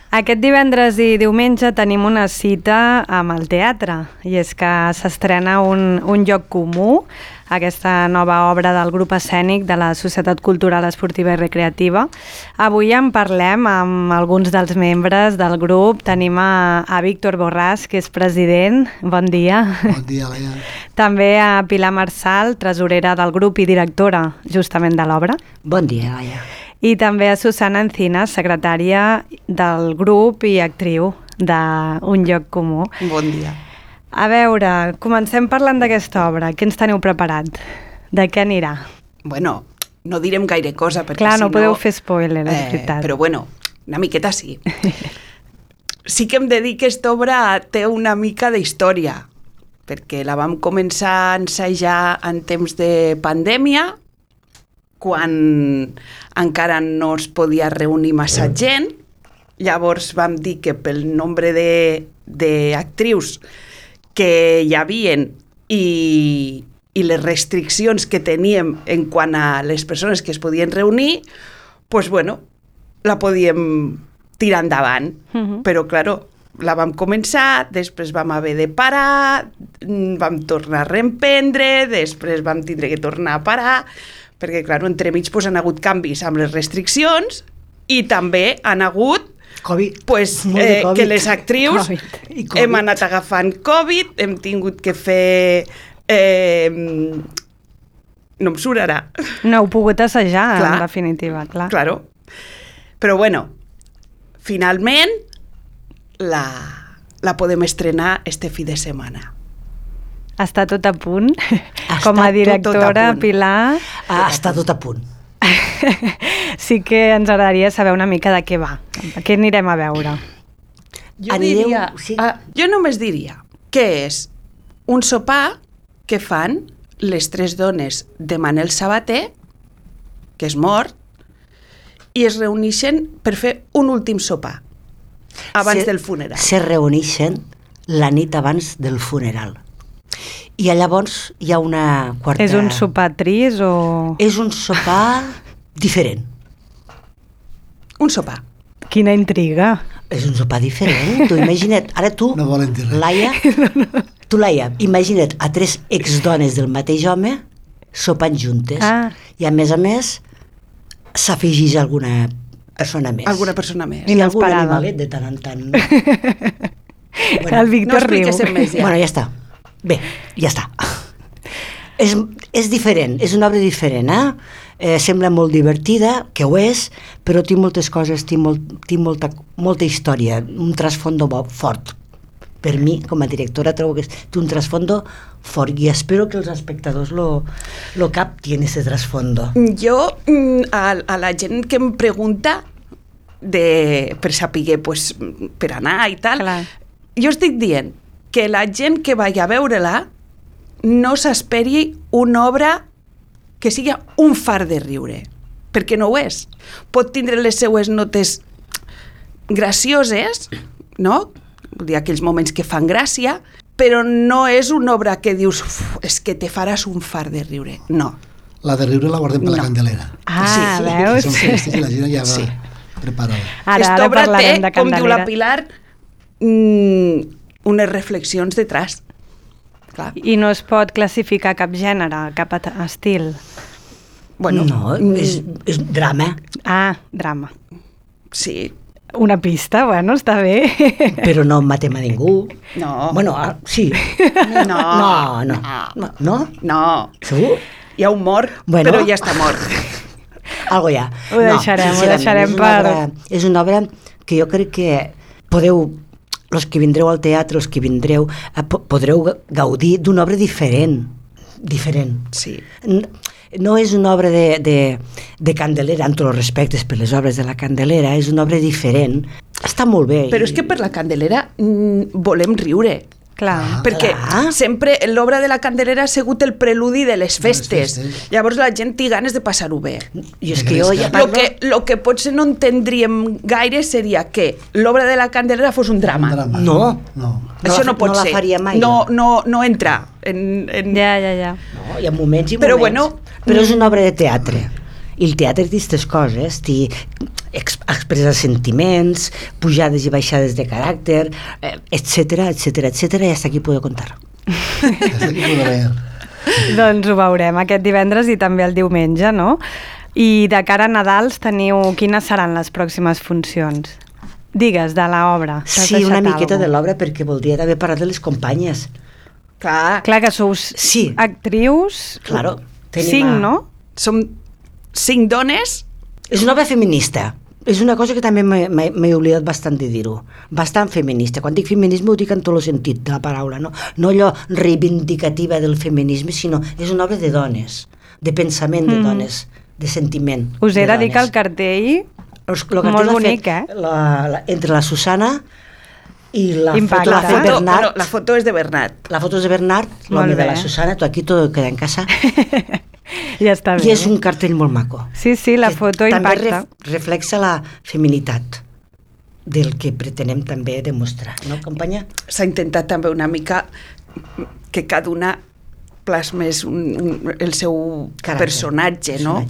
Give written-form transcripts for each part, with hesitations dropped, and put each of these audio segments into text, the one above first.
Aquest divendres i diumenge tenim una cita amb el teatre i és que s'estrena un lloc comú, aquesta nova obra del grup escènic de la Societat Cultural Esportiva i Recreativa. Avui en parlem amb alguns dels membres del grup. Tenim a Víctor Borràs, que és president. Bon dia. Bon dia, Laia. També a Pilar Marsal, tresorera del grup i directora justament de l'obra. Bon dia, Laia. I també a Susana Encinas, secretària del grup i actriu d'Un lloc comú. Bon dia. A veure, comencem parlant d'aquesta obra. Què ens teniu preparat? De què anirà? Bueno, no direm gaire cosa, perquè Clar, si no podeu fer spoiler, és veritat. Però bueno, una miqueta sí. Sí que hem de dir que aquesta obra té una mica d'història, perquè la vam començar a ensajar en temps de pandèmia, quan encara no es podia reunir massa gent. Llavors vam dir que pel nombre d'actrius que hi havien i les restriccions que teníem en quant a les persones que es podien reunir, pues bueno, la podíem tirar endavant. Però, claro, la vam començar, després vam haver de parar, vam tornar a reemprendre, després vam tindre que tornar a parar, perquè, clar, entremig pues, han hagut canvis amb les restriccions i també han hagut Covid. Pues, COVID. que les actrius hem anat agafant Covid, hem tingut que fer... no em surt ara. No heu pogut assajar, Clar. en definitiva, clar. Claro. Però bueno, finalment la podem estrenar este fi de setmana. Està tot a punt? Està Com a tot directora, a punt. Pilar... Està tot a punt. Sí que ens agradaria saber una mica de què va. Què anirem a veure? Jo només diria que és un sopar que fan les tres dones de Manel Sabater, que és mort, i es reuneixen per fer un últim sopar abans del funeral. Se reuneixen la nit abans del funeral. I llavors hi ha una quarta... És un sopar trist o...? És un sopar diferent. Un sopar. Quina intriga. És un sopar diferent. Tu imagina't, ara tu, No volen dir res. Laia, Laia, imagina't a tres exdones del mateix home sopant juntes. I a més, s'afegeix alguna persona més. Alguna persona més. I algun Inesperada. animalet de tant en tant. El Víctor no riu. expliques més ja. Bueno, ja està. Bé, ja està. És diferent, és una obra diferent, sembla molt divertida, que ho és, però té moltes coses, té molta història, un trasfondo fort. Per mi, com a directora, trobo que té un trasfondo fort i espero que els espectadors lo captin, ese trasfondo. Jo, a la gent que em pregunta per saber, pues, per anar i tal, Clar. jo estic dient que la gent que vagi a veure-la no s'esperi una obra que sigui un far de riure, perquè no ho és. Pot tindre les seues notes gracioses, no? Vull dir, aquells moments que fan gràcia, però no és una obra que dius és que te faràs un far de riure. No. La de riure la guardem per la No. Candelera. Ah, Sí, veus? Són festes i la gent ja va Sí. preparada. Aquesta obra té, parlarem de com diu la Candelera. Pilar, unes reflexions detrás. Clar. I no es pot classificar cap gènere, cap estil. Bueno, No, és drama, Ah, drama. sí. Una pista, bueno, està bé. però no matem a ningú. No. Bueno, sí. No. No? No. Segur? Hi ha un mort, Bueno. però ja està mort. Algo ja. Ho deixarem sincerament, per... És una obra que jo crec que podeu, els que vindreu al teatre, els que vindreu, podreu gaudir d'una obra diferent. Sí. No és una obra de Candelera, amb tots els respectes per les obres de la Candelera, és una obra diferent. Està molt bé. Però és que per la Candelera volem riure. Clar. Perquè clar. sempre l'obra de la Candelera ha sigut el preludi de les festes. Llavors la gent té ganes de passar-ho bé. I és que jo ja Lo que potser no entendríem gaire seria que l'obra de la Candelera fos un drama. No. Això no pot no la ser. faria mai. No entra en... Ja. No, hi ha moments i Però moments. bueno, Però és una obra de teatre. I el teatre té aquestes coses, té expressar sentiments, pujades i baixades de caràcter, etcètera, i hasta aquí puedo contar. Hasta aquí puedo leer. Doncs ho veurem aquest divendres i també el diumenge, no? I de cara a Nadals quines seran les pròximes funcions? Digues, de l'obra. Sí, una miqueta de l'obra, perquè voldria també parlar de les companyes. Clar, Que sous actrius, Claro. 5, no? som 5 dones. És una obra feminista. És una cosa que també m'he oblidat bastant de dir-ho. Bastant feminista. Quan dic feminisme ho dic en tot el sentit de la paraula, no allò reivindicativa del feminisme, sinó és una obra de dones, de pensament de dones, de sentiment. Us he de dir que el dones. cartell, El cartell molt l'ha bonic, fet entre la Susana i la Impacte. foto l'ha fet Bernat. La foto és de Bernat. La foto és de Bernat, l'home Molt de la bé. Susana, tu aquí tot queda en casa. ja està bé. I és un cartell molt maco. Sí, la que foto també impacta. reflexa la feminitat del que pretenem també demostrar, no, companya? S'ha intentat també una mica que cada una plasmés el seu Caràcter, personatge, no?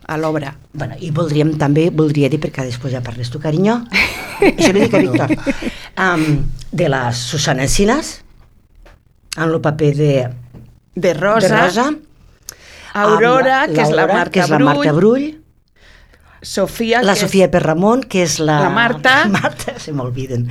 A l'obra. Bueno, i voldria dir, perquè després ja parles tu, carinyo, això li dic a Víctor, de la Susana Encinas, en el paper De Rosa, de Rosa, Aurora, amb que és la que és la Marta Brull, Sofia, la que Sofia Perramon, que és la Marta. La Marta, se m'olviden.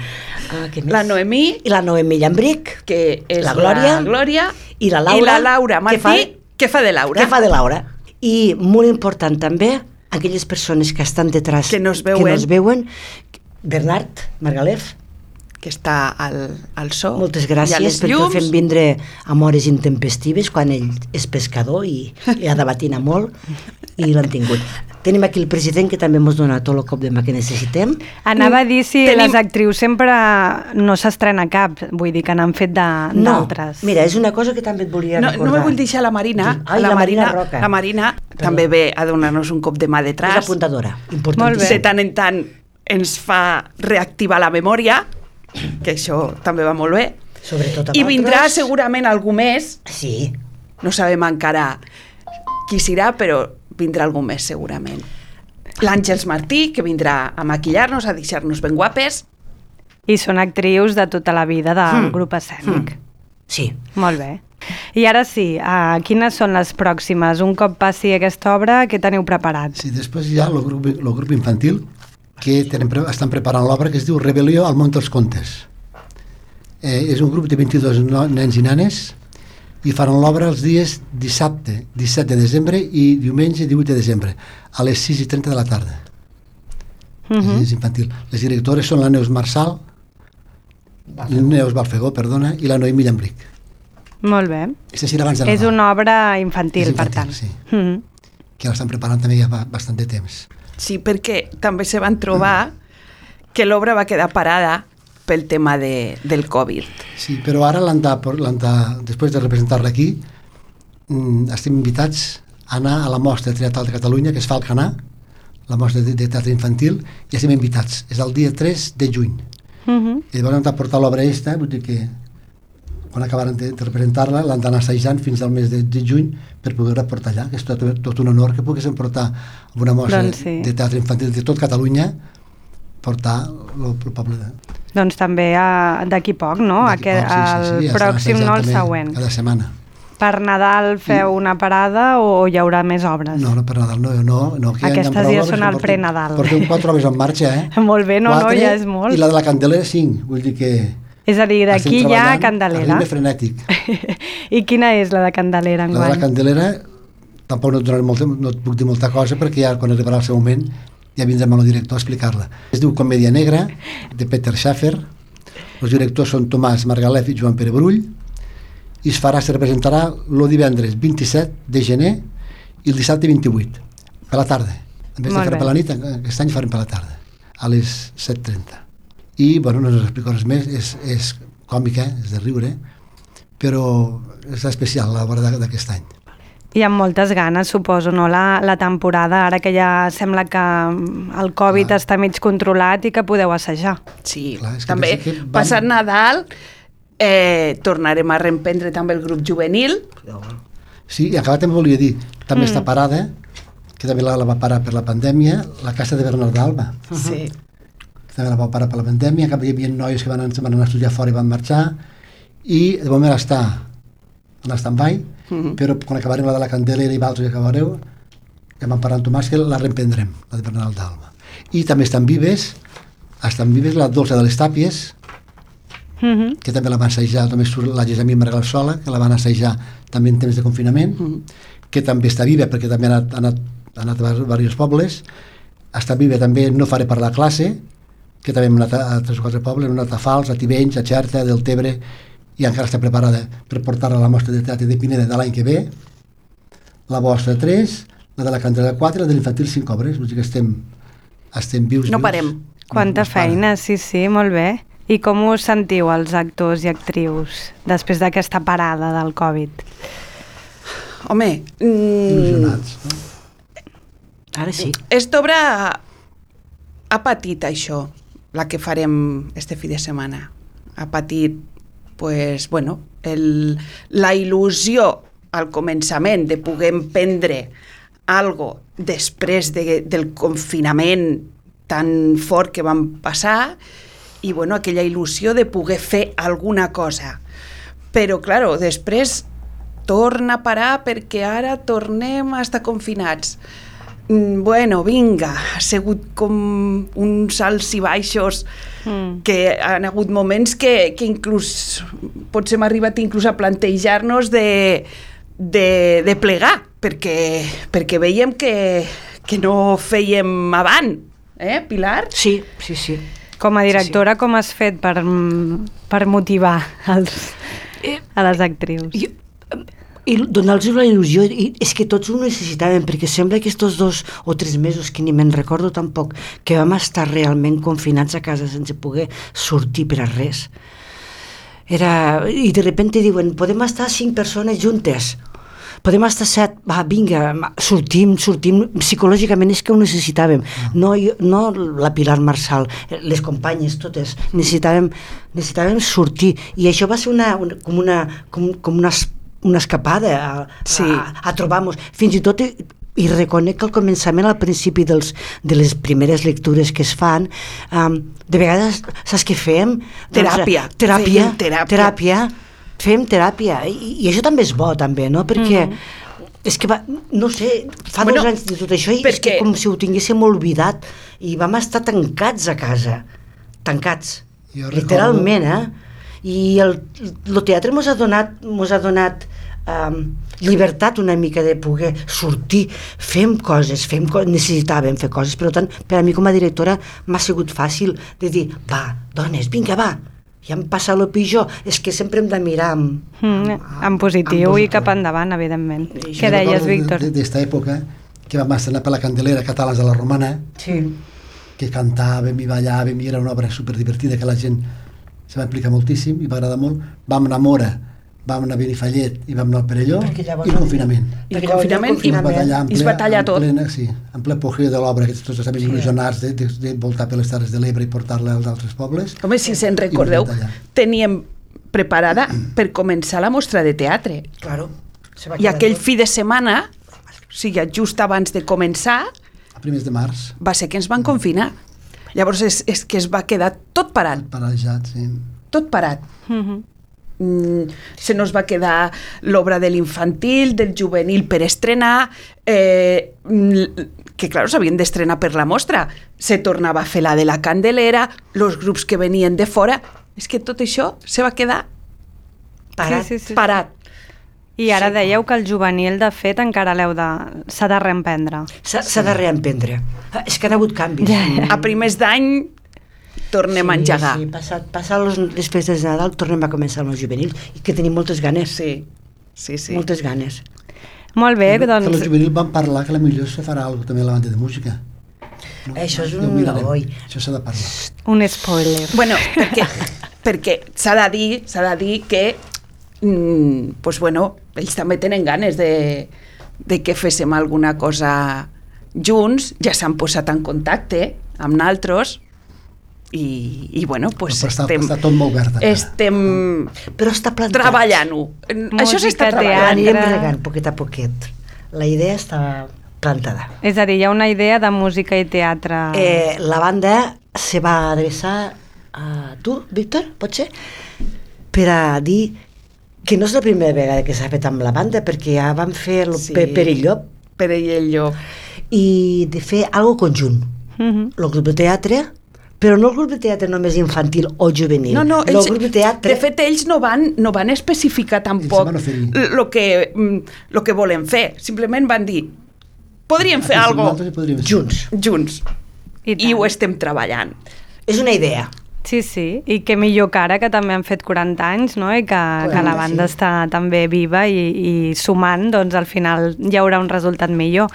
Què més? la Noemí, I la Noemí Llambric, que és la Glòria, i la Laura Martí, que fa de Laura. Que fa de Laura. I molt important també, aquelles persones que estan detrás, Que no es veuen. Bernard Margalef, que està al so. moltes i a gràcies les perquè el llums. fem vindre a hores intempestives quan ell és pescador i ha de batinar molt i l'han tingut. Tenim aquí el president que també ens dona tot el cop de mà que necessitem. Anava a dir si Tenim- les actrius sempre no s'estrena cap, vull dir que n'han fet d'altres. Mira, és una cosa que també et volia No recordar. me vull deixar la Marina. Ai, la Marina Roca. La Marina també ve a donar-nos un cop de mà És detrás. apuntadora, Molt importantíssim. bé. De tant en tant ens fa reactivar la memòria, que això també va molt bé. Sobretot amb I vindrà altres. segurament algú més, Sí, no sabem encara qui serà, però vindrà algú més segurament. L'Àngels Martí, que vindrà a maquillar-nos, a deixar-nos ben guapes. I són actrius de tota la vida del grup escènic. sí. Molt bé. I ara sí, quines són les pròximes? Un cop passi aquesta obra, què teniu preparat? Sí, després hi ha el grup infantil que estan preparant l'obra que es diu Rebel·lió al món dels contes. És un grup de 22 nens i nanes i faran l'obra els dies dissabte 17 de desembre i diumenge 18 de desembre a les 6:30 de la tarda. És infantil. Les directores són la Neus Marçal, Neus Balfegó, perdona, i la Noemí Llambric. Molt bé. Aquesta serà abans de Nadal. És una obra infantil, És per infantil, tant. sí. Mhm. Que l'estan preparant també ja fa bastant de temps. Sí, perquè també se van trobar que l'obra va quedar parada pel tema del Covid. Sí, però ara després de representar-la aquí, estem invitats a anar a la mostra teatral de Catalunya, que es fa al Canà, la mostra de teatre infantil, i estem invitats. És el dia 3 de juny. I llavors hem de portar l'obra aquesta, vull dir que quan acabaran de representar-la l'han d'anar assajant fins al mes de juny per poder-la portar allà, que és tot un honor que poguéssim portar una mostra Doncs sí. de teatre infantil de tot Catalunya, portar el poble de... Doncs també d'aquí poc, no? d'aquí poc, El ja estan pròxim, no el assajant també següent. cada setmana. Per Nadal feu una parada o hi haurà més obres? No, per Nadal no. Que Aquestes hi ha prou ja obres, són que el pre-Nadal. Portem 4 obres en marxa, eh? Molt bé, no, 4, ja és molt. I la de la Candelera 5, vull dir que... És a dir, d'aquí estem hi ha treballant Candelera. a ritme frenètic. I quina és la de Candelera La de la enguany? Candelera tampoc no et puc dir molta cosa perquè ja quan arribarà el seu moment ja vindrem amb el director a explicar-la. Es diu Comèdia Negra, de Peter Schaffer. Els directors són Tomàs Margalef i Joan Pere Brull, i es representarà el divendres 27 de gener i el dissabte 28, per la tarda. En vez de Molt fer bé. per la nit, aquest any farem per la tarda, a les 7:30. I, bueno, no us explico res més, és còmica, és de riure, però és especial l'obra d'aquest any. I amb moltes ganes, suposo, no? La temporada, ara que ja sembla que el Covid està mig controlat i que podeu assajar. Sí, Clar, és que també pensa que van- passat Nadal tornarem a reemprendre també el grup juvenil. Sí, i acabat també volia dir, també està parada que també la va parar per la pandèmia, la Casa de Bernat d'Alba. Sí. Que també la va parar per la pandèmia, que hi havia noies que van anar a estudiar fora i van marxar, i de moment està en stand-by, però quan acabarem la de la Candelera i Valls i acabareu, ja vam parlar amb Tomàs que la reemprendrem, la de Bernat d'Alba. I també estan vives la Dolça de les Tàpies, que també la van assajar, també surt la Gessamí Margal Sola, que la van assajar també en temps de confinament, que també està viva perquè també ha anat a diversos pobles. Està viva també No faré per la classe, que també hem anat a 3 o 4 pobles, hem anat a Fals, a Tivenys, a Xerta, a Deltebre, i encara està preparada per portar-la a la mostra de teatre de Pineda de l'any que ve. La vostra 3, la de la Candelera 4, la de l'infantil 5 obres, vull dir que estem vius. No parem. Quanta feina, sí, molt bé. I com us sentiu els actors i actrius després d'aquesta parada del Covid? Home, Il·lusionats, no? Ara sí. Esta obra ha patit això, la que farem este fi de setmana. Ha patit, pues, bueno, la il·lusió al començament de poder emprendre algo després del confinament tan fort que vam passar i, bueno, aquella il·lusió de poder fer alguna cosa. Però, claro, després torna a parar perquè ara tornem a estar confinats. Bueno, vinga, ha sigut com uns alts i baixos que han hagut moments que inclús potser hem arribat inclús a plantejar-nos de plegar, perquè veiem que no fèiem avant, Pilar? Sí. Com a directora, com has fet per motivar a les actrius? I donar-los la il·lusió, i és que tots ho necessitàvem, perquè sembla que aquests 2 o 3 mesos, que ni me'n recordo tampoc, que vam estar realment confinats a casa sense poder sortir per a res. I de repente diuen, podem estar 5 persones juntes, podem estar 7, va, vinga, sortim, psicològicament és que ho necessitàvem, no la Pilar Marçal, les companyes totes, necessitàvem sortir, i això va ser com una escapada a trobar-nos, fins i tot i reconec que al començament, al principi de les primeres lectures que es fan, de vegades, saps què fem? Teràpia. Fem teràpia, i això també és bo, també, no? Perquè és que no sé, fa 2 anys de tot això, i és que com si ho tinguéssim oblidat, i vam estar tancats a casa, tancats, literalment, i el teatre mos ha donat llibertat una mica de poder sortir, fem coses, necessitàvem fer coses, per tant, per a mi com a directora m'ha sigut fàcil de dir, va, dones, vinga, va, ja em passa el pitjor, és que sempre hem de mirar en positiu i cap endavant, evidentment. Què deies, Víctor? D'esta època, que vam estrenar per la Candelera Catalans de la Romana, que cantàvem i ballàvem, i era una obra superdivertida que la gent se va implicar moltíssim i va agradar molt. Vam anar a Mora, vam anar a Benifallet i vam anar al Perelló, i el confinament. I el confinament i es va tallar tot. En ple apogeu de l'obra, que tots estaven il·lusionats de voltar per les Terres de l'Ebre i portar-la als altres pobles. Home, si se'n recordeu, teníem preparada per començar la mostra de teatre. Claro. I aquell fi de setmana, o sigui, just abans de començar, a primers de març, va ser que ens van confinar. Llavors és que es va quedar tot parat. Paralitzat, sí. Tot parat. Se nos va quedar l'obra de l'infantil, del juvenil per estrenar, que clar, s'havien d'estrenar per la mostra. Se tornava a fer la de la Candelera, els grups que venien de fora. És que tot això se va quedar parat. Parat. I ara dèieu que el juvenil, de fet, encara s'ha de reemprendre. S'ha de reemprendre. És que han hagut canvis. A primers d'any tornem a engegar. Sí, passat les festes de Nadal tornem a començar amb el juvenil, i que tenim moltes ganes. Sí. Moltes ganes. Molt bé, doncs... Que el juvenil van parlar que potser se farà alguna cosa també a la banda de música. Això és un oi. Això s'ha de parlar. Un spoiler. Bueno, perquè s'ha de dir que pues bueno, ells també tenen ganes de que féssim alguna cosa junts, ja s'han posat en contacte amb nosaltres i bueno, pues està tot molt verd. Però està plantat. Treballant-ho. Això s'està treballant. Anirem regant poquet a poquet. La idea està plantada. És a dir, hi ha una idea de música i teatre... La banda se va adreçar a tu, Víctor, pot ser? Per a dir que no és la primera vegada que s'ha fet amb la banda, perquè ja van fer per el llop. Per el llop. I de fer algo conjunt. El grup de teatre, però no el grup de teatre només infantil o juvenil. No, el grup de teatre... De fet, ells no van especificar tampoc el que volen fer. Simplement van dir, podríem fer alguna cosa junts. I ho estem treballant. És una idea. Sí, i que millor que ara, que també han fet 40 anys, no? I que la banda està també viva i sumant, doncs al final hi haurà un resultat millor.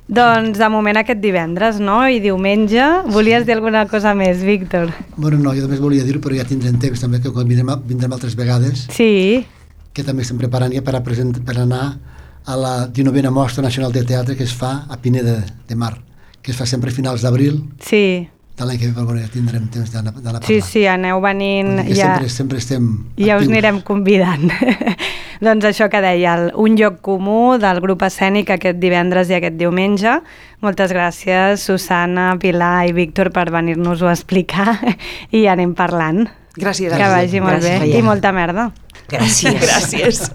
Doncs de moment aquest divendres, no? I diumenge, volies dir alguna cosa més, Víctor? Bueno, no, jo només volia dir-ho, però ja tindrem temps també, que quan vindrem altres vegades, sí, que també estem preparant ja per anar a la 19a Mostra Nacional de Teatre que es fa a Pineda de Mar, que es fa sempre a finals d'abril. Sí. De l'any que ve, ja tindrem temps d'anar a parlar. Sí, aneu venint. Sempre estem ja us anirem convidant. Doncs això que deia, un lloc comú del grup escènic aquest divendres i aquest diumenge. Moltes gràcies, Susana, Pilar i Víctor, per venir-nos-ho a explicar i anem parlant. Gràcies. Que vagi molt bé. I molta merda. Gràcies. Gràcies.